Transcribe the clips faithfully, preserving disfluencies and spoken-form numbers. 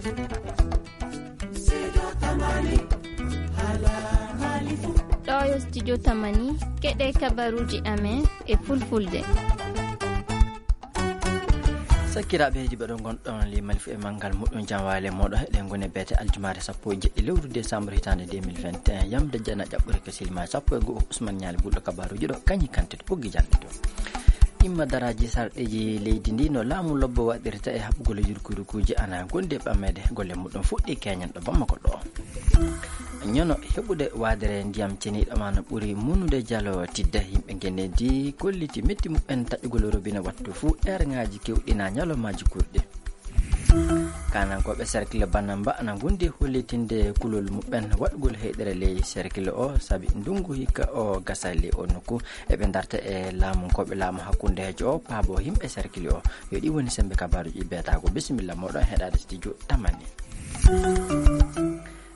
Ɗo yo studio Tamani, keɗe kabaruuji amen e fulfulde. Sakkiraaɓe heediiɓe ɗo ngonɗon li malifu e manngal muɗum jam waale mooɗo heɗen ngoni beete aljumaare sappo e jeɗɗi lewru décembre hitaande deux mille vingt et un, yamde jana ƴaɓɓure ka silima sappo e go'o. Ousmane Ñaali gulɗo kabaruuji ɗo kañi kante to ɓoggi jannde to. Imma daraaji sarɗeeji leydi ndi no laamu lobbo waɗirta e haɓugol yurkuyurkuuji ana gondi e ɓammeede golle muɗum fuɗɗi keñen ɗo Bamako ɗo. Ñono heɓude waadere ndiyam ceniiɗo ma no ɓuri munude jalo tidde. Yimɓe ngenedi kolliti metti muɓɓen taƴugol robine wattu fuu eerŋaaji kewɗi na ñalawmaaji kurɗi. Kanankooɓe cercle Banamba ana ngondi hollitinde kulol muɓɓen waɗugol heyɗere ley cercle o sabi ndungu hikka o gasa ley o nokku. Eɓe darta e laamunkooɓe laamu hakkundeejo o paabo yimɓe cercle o. Yo ɗi woni sembe kabaaruji beetaago. Bisimilla moɗon heɗaade studio Tamani.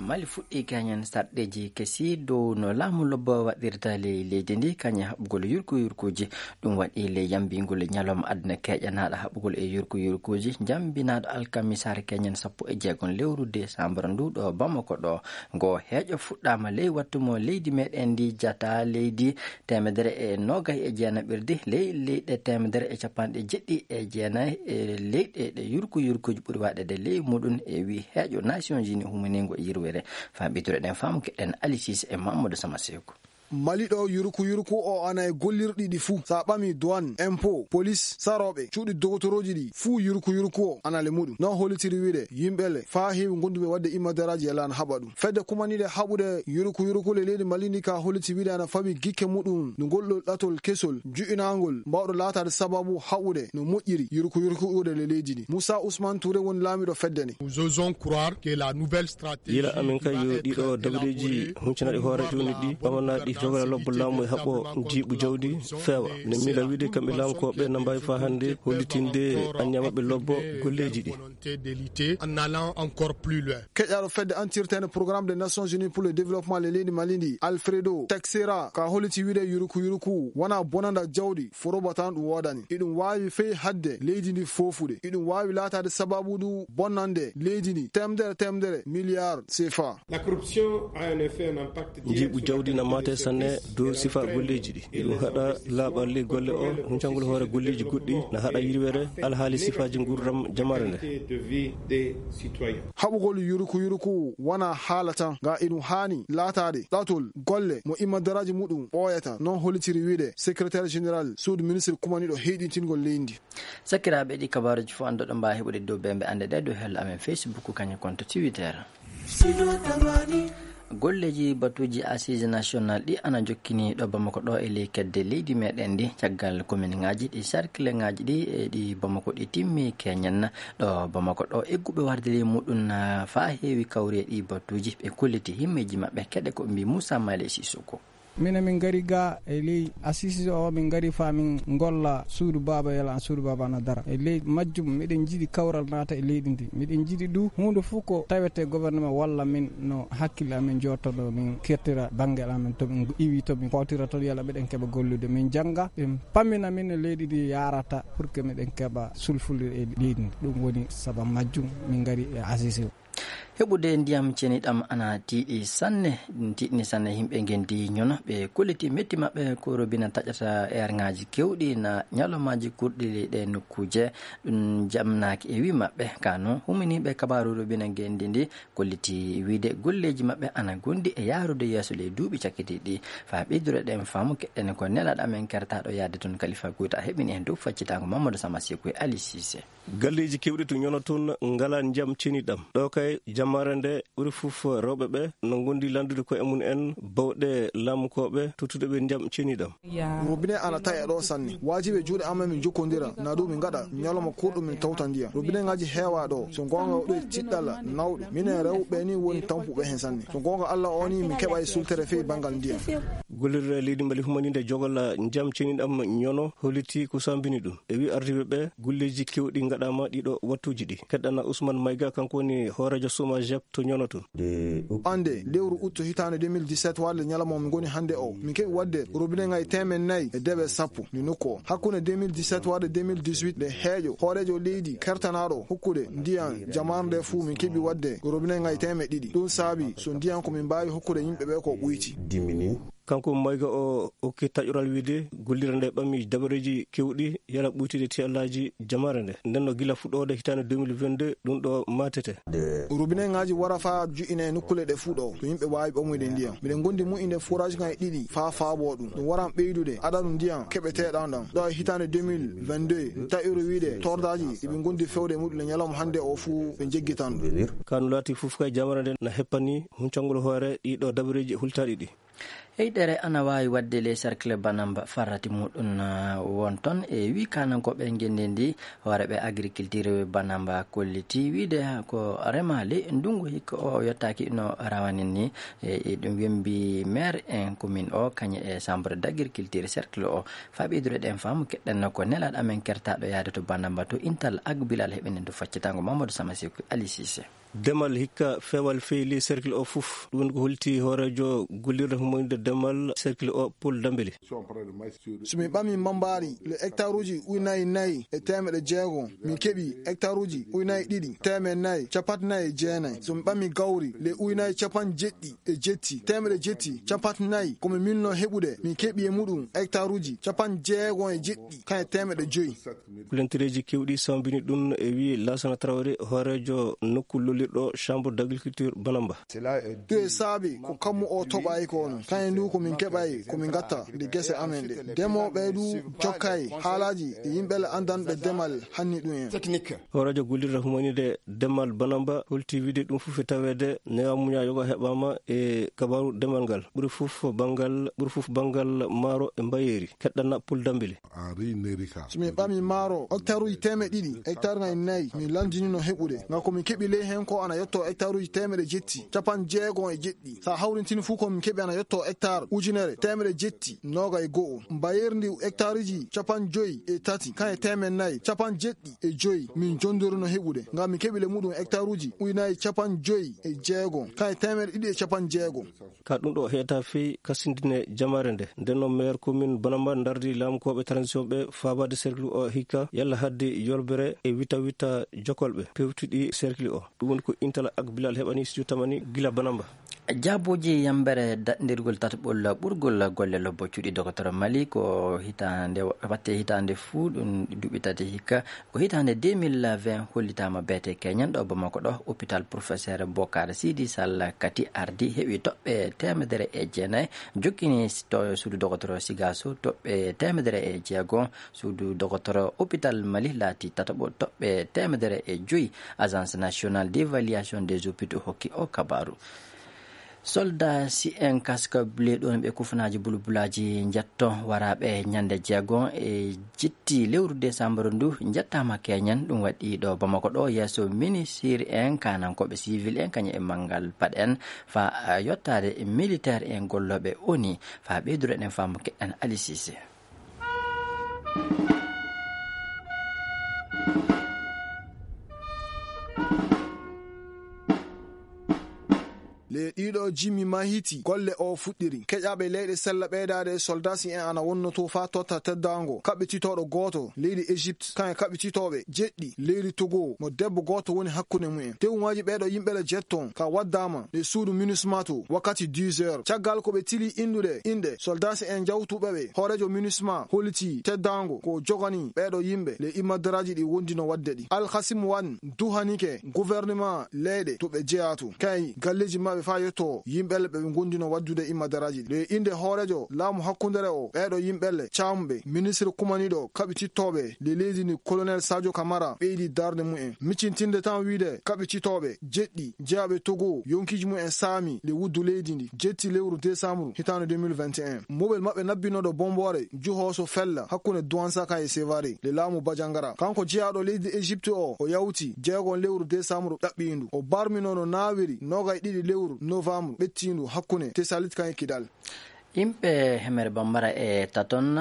Mali fuɗɗi kañen sarɗeeji kesi dow no laamu lobbo waɗirta ley leydi ndi kañe haɓugol yurku yurkuuji. Ɗum waɗi ley yambingol ñalawma aduna keƴanaaɗo haɓugol e yurku yurkuuji, jambinaaɗo alkamisaare keñen sappo e jeegom lewru décembre ndu ɗo Bamako ɗo. Ngo heeƴo fuɗɗaama ley wattu mo leydi meɗen ndi jata leydi teemedere e noogay e jeenaɓirdi ley leyɗe teemedere e capanɗe jeɗɗi e jeenayi e leyɗe ɗe yurku yurkuuji ɓuri waɗeede ley muɗum e wi heeƴo Nations Unies humaningo e yirwere. Faa ɓittuɗen faamu keɗen Alisis e Mamadou Sama Seku. Mali ɗo yurku yurku o ana e gollirɗi ɗi fuu. Sa ɓami douane, impôt, police, sarooɓe, cuuɗi dogotorooji ɗi fuu yurku yurku o ana le muɗum. No hollitiri wiide yimɓe le faa heewi gonduɓe waɗde immadaraaji e laana haɓa ɗum. Fedde kumaniiɗe haɓude yurku yurku le leydi Mali ndi ka holliti wiide ana fawi gikke muɗum no ngol ɗo ɗatol kesol ju'inaangol mbawɗo laataade sababu haɓude no moƴƴiri yurku yurku ude le leydi ndi. Moussa Ousmane Touré woni laamiɗo fedde nde. Nous osons croire que la nouvelle stratégie Yila amin kay yo ɗiɗo dabreeji huncanaɗi hoore jooni ɗi, ɓamanaaɗi jogora lobbo laamu e haɓɓo jiiɓu jawdi feewa. Ne miila wiide kamɓe laamkooɓe na mbaawi faa hannde hollitinde anniya maɓɓe lobbo golleeji ɗi. Volonté de lutter en allant encore plus loin. Keƴaaɗo fedde antirtene Programme des Nations Unies pour le Développement le leydi Mali ndi, Alfredo Texera, ka holliti wiide yuruku yuruku wona bonanda jawdi foroba tan ɗum woodani. Iɗum waawi fey hadde leydi ndi foofude. Iɗum waawi laataade sababu ndu bonnande leydi ndi teemedere teemedere miliyar sefa. La corruption a un effet, un impact direct Njiiɓu sur la jawdi na maate sanne dow sifa golleeji ɗi. Iɗum haɗa laaɓal ley golle o, huncangol hoore golleeji goɗɗi, na haɗa yirwere alhaali sifaaji nguurndam jamaare nde. Qualité de vie des citoyens. Haɓugol yuruku yuruku wona haala tan, nga iɗum haani laataade ɗatol golle mo immadaraaji muɗum ɓooyata, non hollitiri wiide secrétaire général suudu ministre kumaniiɗo heyɗintingol leydi ndi. Sakiraaɓe, ɗi kabaaruuji fof annduɗo mbaawa heɓude dow bembe annde ɗe dow hello amen Facebook, kañum konto Twitter. Golleeji batuuji Assises National ɗi ana jokkini ɗo Bamako ɗo e ley kedde leydi meɗen ndi, caggal commune ŋaaji ɗi, cercle ŋaaji ɗi e ɗi Bamako ɗi timmi keñen ɗo Bamako ɗo. Egguɓe warde ley muɗum na faa heewi kawri e ɗi batuuji, ɓe kolliti himmeeji maɓɓe. Keɗe ko mbi Moussa Male Sissoko. Minen min ngari ga e ley Assises o, min ngari faa min ngolla suudu baaba, yala an suudu baaba ana dara. E ley majjum, miɗen njiɗi kawral naata e leydi ndi. Miɗen njiɗi du huunde fof ko tawete gouvernement walla min no hakkille amen jooɗtoɗo, min kettira banngel amen to min iwi, to min kootira toon, yala miɗen keɓa gollude. Min jannga, ɓe pammina min no leydi ndi yaarata pour que miɗen keɓa sulfulde e leydi ndi. Ɗum woni sababu majjum min ngari e Assises o. Heɓude ndiyam ceniɗam ana tiiɗi sanne, ɗum tiiɗini sanne yimɓe ngenndi ñono. Ɓe kolliti metti maɓɓe ko robina taƴata eerŋaaji kewɗi na ñalawmaaji kurɗi ɗe nokkuuje. Ɗum jamnaaki e wi maɓɓe. Ka noon, huminiiɓe kabaaru robina ngenndi ndi kolliti wiide golleeji maɓɓe ana ngondi e yaarude yeeso ley duuɓi cakkitiiɗi. Faa ɓeydureɗen faamu keɗen ko nelaaɗo amen kertaaɗo yaade toon Kalifa Guyta heɓini heen dow faccitaango Mamadou Sama Seku e Ali Cissé. Galleeji keewɗi to ñono toon ngalaa ndiyam ceniɗam. Ɗo kay jamaare nde ɓuri fof rewɓe ɓe no ngondi lanndude koye mum en bawɗe laamukooɓe tottude ɓe ndiyam ceniɗam. Robinet ana taƴa ɗo sanne. Waajibi e juuɗe amen min njokkondira, na ɗum min ngaɗa ñalawma kurɗo min tawta ndiyam. Robinet ŋaaji heewa ɗo. So goonga o ɗo e tiɗɗalla nawɗo. Minen rewɓe ni woni tampuɓe heen sanne. So goonga Alla o ni min keɓa e sultere fey banngal ndiyam. Gollirde leydi Mali humaniinde jogol njiyam ceniɗam ñono holliti ko sambini ɗum. E wi ardiiɓe ɓe, golleeji kewɗi ngaɗaama ɗiɗo wattuuji ɗi. Keɗɗana Ousmane Maïga, kanko woni hooreejo Soma Jep to ñono tun. Ande lewru août hitaande deux mille dix-sept warde ñalawma mo ngoni hannde o, min keɓi waɗde robinet ngaji teemen nayi e deɓe sappo ndi nokku o. Hakkunde deux mille dix-sept warde deux mille dix-huit nde heeƴo hooreejo leydi kertanaaɗo hokkude ndiyan jamaare nde fuu, min keɓi waɗde robinet ngaji teemen ɗiɗi. Ɗum saabi so ndiyan ko min mbaawi hokkude yimɓe ɓe ko ɓuyti. Kanko Maïga o okki taƴoral wiide gollirde nde ɓami dabareeji kewɗi yala ɓuytude tiyallaaji jamaare nde. Nden no gila fuɗɗoode hitaande deux mille vingt-deux ɗum ɗo maatete. Robinet ngaji wara faa ju'ine e nokkuule ɗe fuu ɗo, to yimɓe waawi ɓamoyde ndiyan. Miɗen gondi mu'inde forage ngaji ɗiɗi faa faabo ɗum. Ɗum waran ɓeydude adadu ndiyan keɓeteeɗan ɗan. Ɗo e hitaande deux mille vingt-deux, taƴoore wiide tordaaji ɗi ɓe gondi fewde e muɗum e ñalawma hannde o fuu ɓe jeggitan ɗum. Ka no laati fof kay, jamaare nde na heppani huncangol hoore ɗiɗo dabareeji hultaaɗi ɗi. Heyɗere ana waawi waɗde les cercle Banamba farrati muɗum, ah, won toon e wi kaanankooɓe ngenndi ndi, hooreeɓe agriculture Banamba kolliti wiide ko remaali ndunngu hikka o yottaaki no rawani ni. E, e ɗum wembi maire en commune o, kañum e chambre d'agriculture cercle o. Faa ɓeydude ɗen faamu keɗɗen ko nelaaɗo amen kertaaɗo yaade to Banamba to Intal Agbilal heɓenen to faccitango Mamadou Sama Seku Ali Cissé. Demal hikka feewal feyli cercle o fof. Ɗum woni ko holti hooreejo gollirde humaniinde demal cercle o, Paul Dambeli. So min ɓami mambaari le hectare uji ujunaji nayi e teemeɗe jeego, min keɓi hectare uji ujunaji ɗiɗi, teemeɗe nayi, capanɗe nayi e jeenayi. So min ɓami gawri le ujunaji capanɗe jeɗɗi e jetti, teemeɗe jetti, capanɗe nayi, ko min milno heɓude, min keɓi e muɗum hectare uji capanɗe jeego e jeɗɗi, kan e teemeɗe joyi. Kulantireeji kewɗi sambini ɗum e wi Lassana Traoré, hooreejo nokku lollirɗo chambre d'agriculture Banamba. Ɗum e saabi ko kammu o toɓayi ko non. Kayen ndu ko min keɓayi, ko min gatta nde gese amen ɗe. Demooɓe du jokkay haalaaji e yimɓe le anndanɓe demal hanni ɗum en. Hooreejo gollirde humaniinde demal Banamba holti wiide ɗum fof e taweede newa muña yoga heɓaama e kabaru demal ngal. Ɓuri fof banngal, ɓuri fof banngal maaro e mbayeeri. Keɗɗana Pul Dambili. So min ɓami maaro hectare uji teemeɗe ɗiɗi, hectare ngaji nayi, min landinino heɓude. Ngam ko min keɓi ley hen ko ana yetto hectare uji teemeɗe jetti, capanɗe jeego e jeɗɗi. Sa hawrintini fuu ko min keɓi ana yetto hectare ujunere teemeɗe jetti nooga e go'o. Mbayeeri ndi hectare uji capanɗe joyi e tati, kan e teemeɗe nayi, capanɗe jeɗɗi e joyi. Min jondorino heɓude. Ngam min keɓi le muɗum hectare uji ujunaji capanɗe joyi e jeego, kan e teemeɗe ɗiɗi e capanɗe jeego. Ka ɗum ɗo heeta fii kasindine jamaare nde. Nden noon maire commune Banamba dardi laamukooɓe transition ɓe faabaade cercle o hikka yalla haddi yolbere e wita wita jokolɓe pewtuɗi cercle o. Ɗum woni ko Intala ak Bilal heɓani studio tamani gila Banamba. Jaabooji yambere daɗndirgol tataɓol ɓurgol golle lobbo cuuɗi dogotoro Mali ko hitaande, watte hitaande fuu ɗum duuɓi tati hikka. Ko hitaande deux mille vingt hollitaama beete keñan ɗo Bamako ɗo, hôpital Professeur Bokar Sidi Sall kati ardi, heɓi toɓɓe teemedere e jeenayi, jokkini to suudu dogotoro Sigaso toɓɓe teemedere e jeego, suudu dogotoro hôpital Mali laati tataɓo toɓɓe teemedere e joyi, Agence Nationale d'Évaluation des Hôpitaux hokki o kabaaru. Soldat si en kaska ble ɗon ɓe kufanaaji bulbulaaji njetto waraaɓe ñande jeego e jitti lewru décembre ndu njettaama keñen. Ɗum waɗi ɗo Bamako ɗo yeeso ministre en, kanankooɓe civil en, kañum e manngal paɗ en, faa yottaade militaire en gollooɓe oni, faa ɓeydude ɗen faamu keɗen Ali Cissé. Le ɗiɗo jimmi mahiti golle o fuɗɗiri. Keƴaɓe leyɗe sella ɓeydaade e soldasi en ana wonnoto faa totta teddaango kaɓɓititooɗo gooto leydi Égypte, kan e kaɓɓititooɓe jeɗɗi leydi Togo, mo debbo gooto woni hakkunde mumen. Tewu ngaji ɓeeɗo yimɓe le jetton ka waddaama le suudu MINUSMA to wakkati dix heures. Caggal ko ɓe tili inɗude inɗe soldasi en jawtuɓe ɓe, hooreejo MINUSMA holliti teddaango ko jogani ɓeeɗo yimɓe le immadaraaji ɗi wondino wadde ɗi. Alkasim Wan duhanike gouvernement leyɗe to ɓe jeyaa to, kay galleeji maɓɓe faa yetto yimɓe le ɓe ɓe ngondino waddude immadaraaji ɗi. Le innde hooreejo laamu hakkundere o, ɓeeɗo yimɓe le caamuɓe, ministre kumaniiɗo kaɓitittooɓe le leydi ndi, colonel Sadio Camara, ɓeydi darnde mumen. Miccintinde tan wiide kaɓititooɓe jeɗɗi jeyaaɓe Togo, yonkiiji mumen saami le wuddu leydi ndi jetti lewru décembre hitaande deux mille vingt et un. Mobel maɓɓe nabbinooɗo bomboore juhooso fella hakkunde Douentza kan e Sévaré le laamu Bajangara. Kanko jeyaaɗo leydi Égypte o, o yawti jeegon lewru décembre ɗaɓɓiindu. O barmino no naawiri noogay ɗiɗi lewru novembre ɓettiindu hakkunde Tessalit kan e Kidal. Yimɓe hemere Bambara e Taton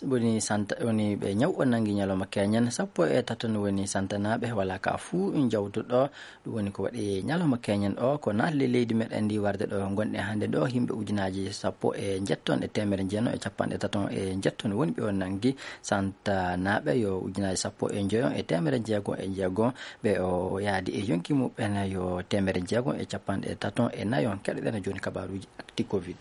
woni santa, woni ɓe ñaw o nangi ñalawma keñen. Sappo e Taton woni santanaaɓe, wala ka fuu jawtuɗo. Ɗum woni ko waɗi ñalawma keñen o, ko naatli leydi meɗen ndi warde ɗo ngonɗen hannde ɗo. Yimɓe ujunaaji sappo e njetton e teemere jeenayi e capanɗe taton e njetton woni ɓe o nangi. Santanaaɓe yo ujunaaji sappo e njoyon e teemere jeegom e jeegom, ɓe o yaadi e yonki muɓɓen yo teemere jeegom e capanɗe taton e nayon. Keɗoɗen jooni kabaaruuji actu covid.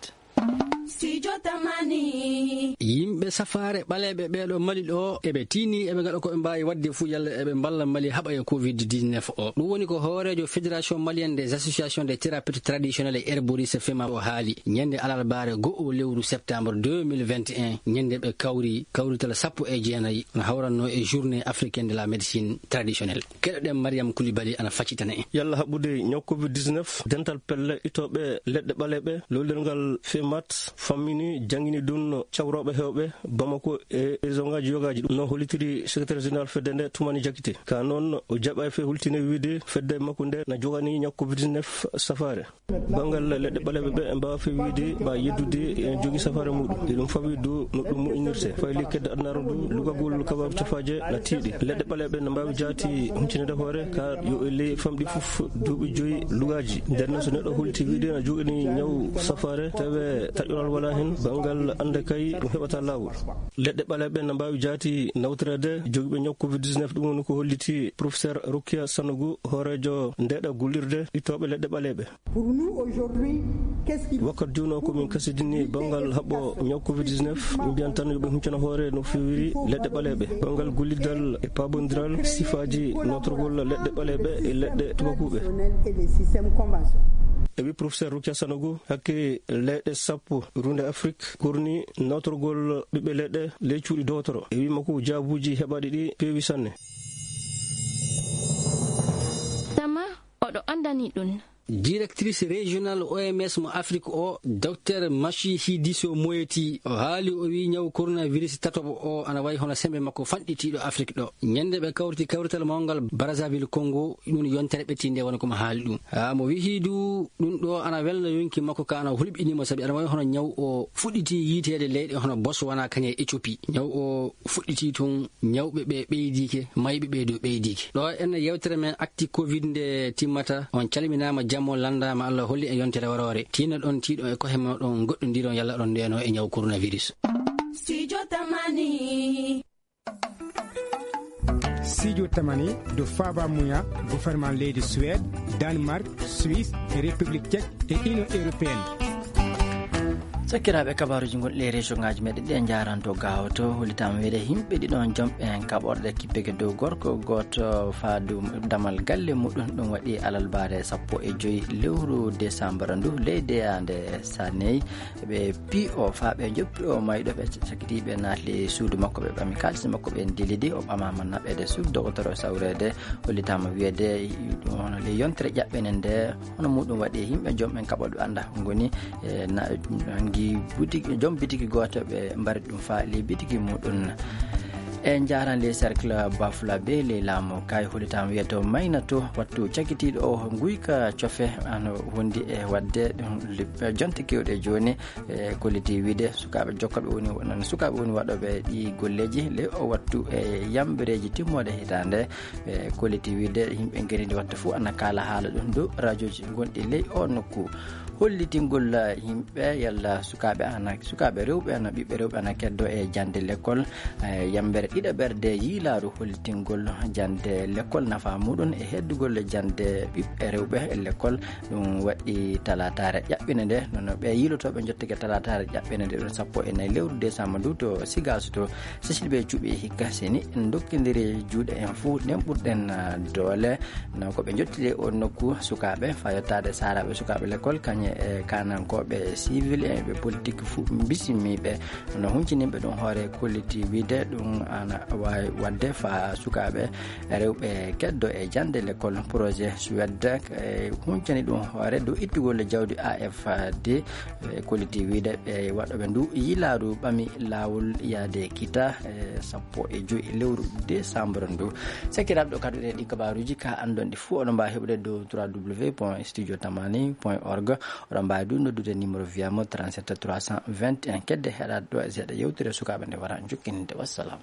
Studio Tamani. Yimɓe safaare ɓaleeɓe ɓeeɗo Mali ɗo, eɓe tiini, eɓe ngaɗa ko ɓe mbaawi waɗde fuu yalla eɓe mballa Mali haɓa e covid dix-neuf o. Ɗum woni ko hooreejo Fédération Malienne des Associations des Thérapeutes Traditionnels et Herboristes, fema, o haali ñande alarbaare go'o lewru septembre deux mille vingt et un, ñande ɓe kawri kawrital sappo e jeenayi, no hawranno e Journée Africaine de la Médecine Traditionnelle. Keɗoɗen Mariam Koulibaly ana faccitana en. Yalla haɓude ñaw covid dix-neuf, dental pelle itooɓe leɗɗe ɓaleeɓe, lowlirgal femat fammini, janngini ɗum cawrooɓe heewɓe Bamako e région ngaaji yogaaji. Ɗum no hollitiri secrétaire général fedde nde, Toumani Diakité. Ka noon, o jaɓa e fe hultine wiide fedde makko nde na jogani ñaw covid dix-neuf safaare. Banngal leɗɗe ɓaleeɓe ɓe, e mbaawa fe wiide ma yeddude ene jogi safaare muɗum. Eɗum fawi dow no ɗum moƴƴinirte. Fayli kedde adunaaru ndu, lugagol kabaaru cafaaje na tiiɗi. Leɗɗe ɓaleeɓe na mbaawi jaati huncinde hoore, ka yo e ley famɗi fof duuɓi joyi lugaaji. Nden noon, so neɗɗo hulti wiide na jogani ñaw safaare, tawe taƴoral wala hen, banngal annda kay ɗum heɓata laawol. Leɗɗe ɓaleeɓe na mbaawi jaati nawtoreede jogiiɓe ñaw covid dix-neuf, ɗum woni ko holliti professeur Rokia Sanogo, hooreejo ndeeɗa gullirde itooɓe leɗɗe ɓaleeɓe. Pour nous aujourd'hui, qu'est-ce qu'il Wakkati jooni o, ko min kasidini banngal haɓɓo ñaw covid dix-neuf, min mbiyan tan yo ɓe huccana hoore no feewiri leɗɗe ɓaleeɓe. Banngal gollidal e paabondiral sifaaji nootorgol leɗɗe ɓaleeɓe e leɗɗe tubakuuɓe. Et les systèmes conventionnels. E wi professeur Rokia Sanogo, hakke leyɗe sappo runde Afrique korni nootorgol ɓiɓɓe leɗɗe ley cuuɗi dowtoro. E wi makko, jaabuuji heɓaaɗi ɗi peewi sanne. Tama, oɗo anndani ɗum. Directrice régionale O M S mo Afrique o, Docteur Mashihidiso Moeti, o haali, o wi ñaw coronavirus tatoɓo o ana wayi hono sembe makko fanɗitiiɗo Afrique ɗo. Ñande ɓe kawriti kawrital mawngal Brazzaville Congo, ɗum yontere ɓettinde woni ko mo haali ɗum. Haa mo wihi du, ɗum ɗo ana welna yonki makko ka ana hulɓinimo, sabi ana wayi hono ñaw o fuɗɗiti yiiteede leyɗe hono Botswana, kañe e Éthiopie. Ñaw o fuɗɗiti tun, ñawɓe ɓe ɓeydike, mayɓe ɓe dow ɓeydike. Ɗo en yewtere men actu covid nde timmata, on calminaama, jammo lanndaama, Allah holli en yontere waroore. Tinno ɗon tiiɗo e kohe moɗon, goɗɗondiron yalla ɗon ndeno e ñaw coronavirus. Studio Tamani. Studio Tamani, do Faba Muya, gouvernement leydi Suède, Danemark, Suisse, e République Tchèque, e Union Européenne. Sakkiraaɓe, kabaaruuji gonɗi e région ngaaji meɗen ɗi en njaaranto gaawoto. Hollitaama wiide yimɓe ɗiɗon jomɓe en kaɓorɗe kippike dow gorko gooto faadu damal galle muɗum. Ɗum waɗi alalbaare sappo e joyi lewru décembre ndu, ley deyaande Saney. Ɓe P O faa ɓe njoppi o mayɗo, ɓe cakitiiɓe naatli suudu makko, ɓe ɓami kaalis makko, ɓe ndilidi, o ɓamaama naɓeede suudu dogotoro sawreede. Hollitaama wiyeede ɗum hono ley yontere ƴaɓɓene nde, hono muɗum waɗi e yimɓe jom en kaɓoɗo anda ngoni, e, na-, nangi butiki, jom bitiki gooto ɓe mbari ɗum faa ley bitiki muɗum. E njaaran ley cercle Bafulabe ley laamu kay, hollitaama wiyeede o maynato wattu cakitiiɗo o nguyka cofe ano wondi e waɗde ɗum lib-, jonte keewɗe jooni. E, kolliti wiide sukaaɓe jokkooɓe woni, wonande sukaaɓe woni waɗooɓe ɗi golleeji ley o wattu e yambereeji timmooɗe hitaande. E, kolliti wiide yimɓe ngenndi wattu fof ana kaala haala ɗum dow rajooji gonɗi ley o nokku. Hollitingol yimɓe yalla sukaaɓe ana, sukaaɓe rewɓe ana, ɓiɓɓe rewɓe ana keddo e jannde lekkol. E, yambere ɗiɗaɓerde yiilaaru hollitingol jannde lekkol, nafa muɗum e heddugol jannde ɓiɓɓe rewɓe e lekkol. Ɗum waɗi talaataare ƴaɓɓinde nde, nono ɓe yiilotooɓe njottike talaataare ƴaɓɓinde nde, ɗum sappo e nayi lewru décembre ndu to Sigaso to Cécile Bey Cuuɓi e hikka seni en ndokkindiri juuɗe en fuu, nden ɓurɗen, ah, doole. No ko ɓe njottide o nokku sukaaɓe, faa yottaade saaraaɓe sukaaɓe lekkol, kañe e kaanankooɓe civil e ɓe politique fuu mbisimiiɓe. No hunciniiɓe ɗum hoore kolliti wiide ɗum, ah, Ana waawi waɗde faa sukaaɓe rewɓe keddo e jannde lekkol. Projet Suède e huncani ɗum hoore dow ittugol jawdi A F D e kolliti wiyde ɓe waɗooɓe ndu yilaaru ɓami laawol yaade kita e sappo e joy lewru décembre ndu. Sakiraaɓe, ɗo kadi ɗi kabaaruuji ka anndon ɗi fof oɗon mbaawi heɓude dow trois W point studio tamani point org. Oɗon mbaawi du noddude numéro viyamo trente-sept trois cent vingt et un. Kedde heɗaade ɗo e seeɗa yewtere sukaaɓe nde wara jokkininde. Wassalam.